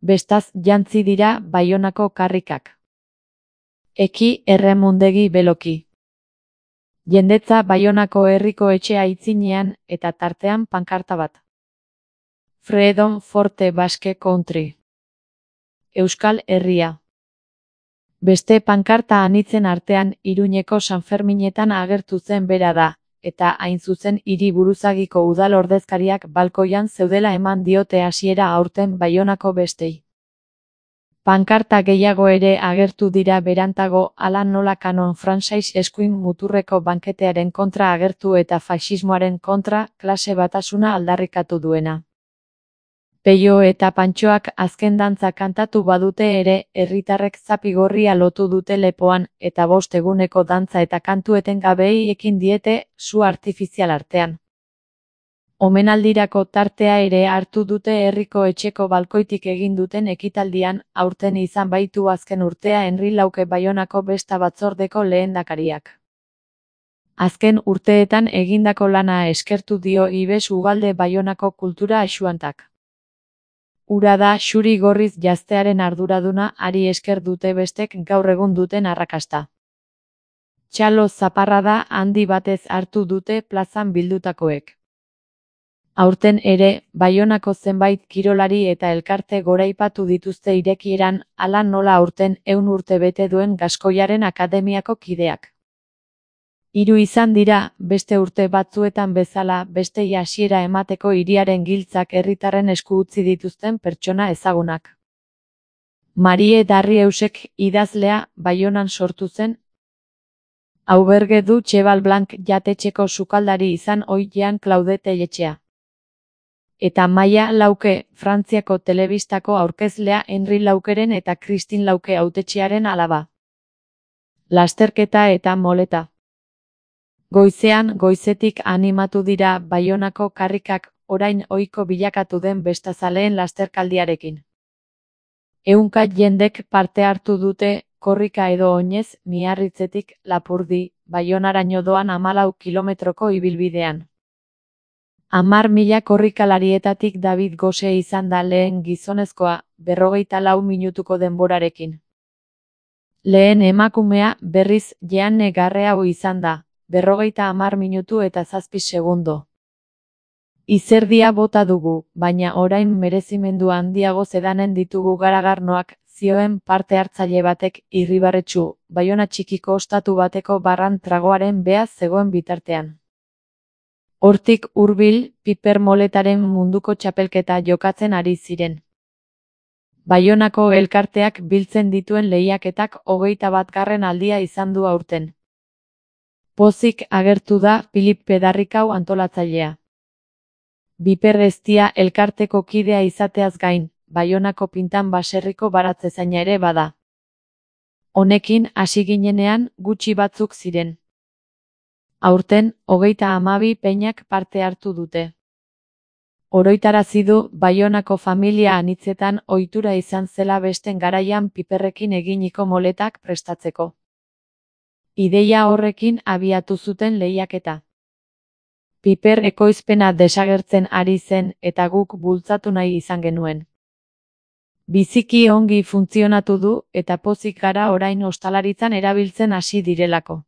Bestaz jantzi dira Baionako karrikak. Eki erremundegi beloki. Jendetza Baionako herriko etxe aitzinean eta tartean pankarta bat. Freedom Forte Basque Country. Euskal Herria. Beste pankarta anitzen artean Iruñeko Sanferminetan agertu zen bera da, eta hain zuzen hiri buruzagiko udal ordezkariak balkoian zeudela eman diote hasiera aurten Baionako bestei. Pankarta gehiago ere agertu dira berantago hala nola Kanon Frantsais eskuin muturreko banketearen kontra agertu eta faxismoaren kontra klase batasuna aldarrikatu duena. Peio eta Pantxoak azken dantza kantatu badute ere, herritarrek zapigorria lotu dute lepoan, eta 5 eguneko dantza eta kantu etengabei ekin diete, su artifizial artean. Omenaldirako tartea ere hartu dute herriko etxeko balkoitik egin duten ekitaldian, aurten izan baitu azken urtea Henri Lauke Baionako besta batzordeko lehendakariak. Azken urteetan egindako lana eskertu dio Ibes Ugalde Baionako kultura axuantak. Ura da xuri gorriz jaztearen arduraduna ari esker dute bestek gaur egun duten arrakasta. Txalo zaparrada handi batez hartu dute plazan bildutakoek. Aurten ere, Baionako zenbait kirolari eta elkarte goraipatu dituzte irekieran, hala nola aurten 100 urte bete duen Gaskoiaren Akademiako kideak. 3 izan dira, beste urte batzuetan bezala, bestei hasiera emateko hiriaren giltzak herritarren esku utzi dituzten pertsona ezagunak. Marie Darrieusek idazlea Baionan sortu zen. Auberge du Cheval Blanc jatetxeko sukaldari izan ohi Jean Claude Telletxea. Eta Maia Lauke, Frantziako telebistako aurkezlea Henri Laukeren eta Christine Lauke hautetxearen alaba. Lasterketa eta moleta. Goizean goizetik animatu dira Baionako karrikak orain ohiko bilakatu den bestazaleen lasterkaldiarekin. 100 jendek parte hartu dute korrika edo oinez Miarritzetik Lapurdi, Baionaraino doan 14 kilometroko ibilbidean. 10.000 korrikalarietatik David Gose izan da lehen gizonezkoa, 44 minutuko denborarekin. Lehen emakumea berriz Jeanne Garreau izan da. 50 minutu eta 7 segundo. Izerdia bota dugu, baina orain merezimendu handiago zedanen ditugu garagarnoak, zioen parte hartzaile batek Irribarretxu, Baiona txikiko ostatu bateko barran tragoaren beaz zegoen bitartean. Hortik hurbil, piper moletaren munduko txapelketa jokatzen ari ziren. Baionako elkarteak biltzen dituen lehiaketak 21. aldia izan du aurten. Pozik agertu da Filip Pedarrikau antolatzailea. Biper Eztia elkarteko kidea izateaz gain, Baionako Pintan baserriko baratzezaina ere bada. Honekin hasi ginenean gutxi batzuk ziren. Aurten 32 peinak parte hartu dute. Oroitarazi du Baionako familia anitzetan ohitura izan zela besten garaian piperrekin eginiko moletak prestatzeko. Ideia horrekin abiatu zuten lehiaketa. Piper ekoizpena desagertzen ari zen eta guk bultzatu nahi izan genuen. Biziki ongi funtzionatu du eta pozik gara orain ostalaritzan erabiltzen hasi direlako.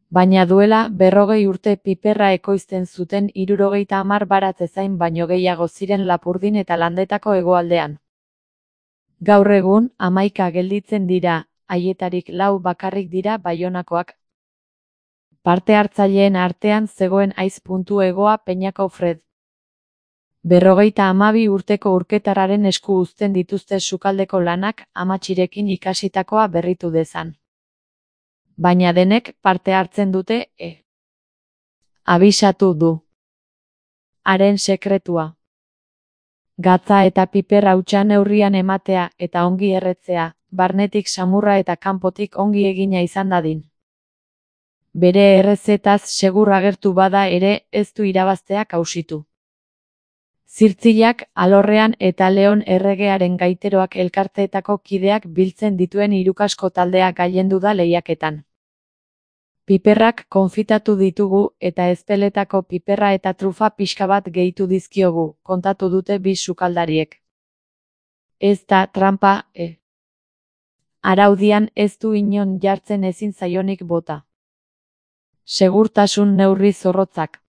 Baina duela 40 urte piperra ekoizten zuten 70 baratzezain baino gehiago ziren Lapurdin eta Landetako hegoaldean. Gaur egun 11 gelditzen dira, haietarik 4 bakarrik dira Baionakoak. Parte hartzaileen artean zegoen Aiz.egoa Peñako Fred. 52 urteko urketarraren esku uzten dituzte sukaldeko lanak amatxirekin ikasitakoa berritu dezan. Baina denek parte hartzen dute, abisatu du. Haren sekretua. Gatza eta piper hautsa neurrian ematea eta ongi erretzea, barnetik samurra eta kanpotik ongi egina izan dadin. Bere errezetaz segur agertu bada ere ez du irabaztea kausitu. Zirtzilak, alorrean eta Leon erregearen gaiteroak elkarteetako kideak biltzen dituen hirukasko taldea gailendu da lehiaketan. Piperrak konfitatu ditugu eta ezpeletako piperra eta trufa pixka bat gehitu dizkiogu, kontatu dute bi sukaldariek. Ez da tranpa, Araudian ez du inon jartzen ezin zaionik bota. Segurtasun neurri zorrotzak.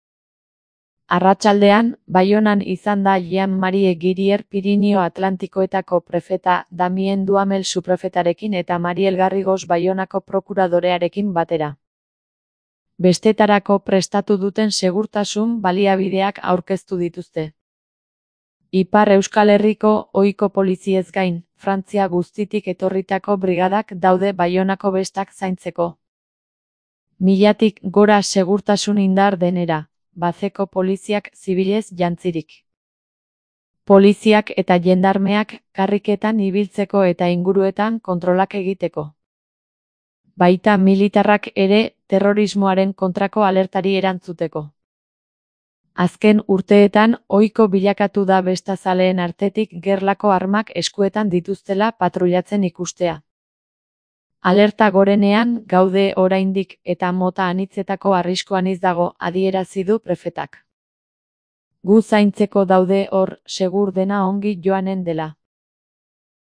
Arratsaldean, Baionan izan da Jean-Marie Girier Pirinio Atlantikoetako prefeta, Damien Duhamel suprefetarekin eta Mariel Garrigos Baionako prokuradorearekin batera. Bestetarako prestatu duten segurtasun baliabideak aurkeztu dituzte. Ipar Euskal Herriko ohiko poliziez gain, Frantzia guztitik etorritako brigadak daude Baionako bestak zaintzeko. 1000tik gora segurtasun indar denera, bazeko poliziak zibilez jantzirik. Poliziak eta jendarmeak karriketan ibiltzeko eta inguruetan kontrolak egiteko. Baita militarrak ere terrorismoaren kontrako alertari erantzuteko. Azken urteetan ohiko bilakatu da bestazaleen artetik gerlako armak eskuetan dituztela patrullatzen ikustea. Alerta gorenean gaude oraindik eta mota anitzetako arrisku anitz dago, adierazi du prefetak. Gu zaintzeko daude hor, segur dena ongi joanen dela.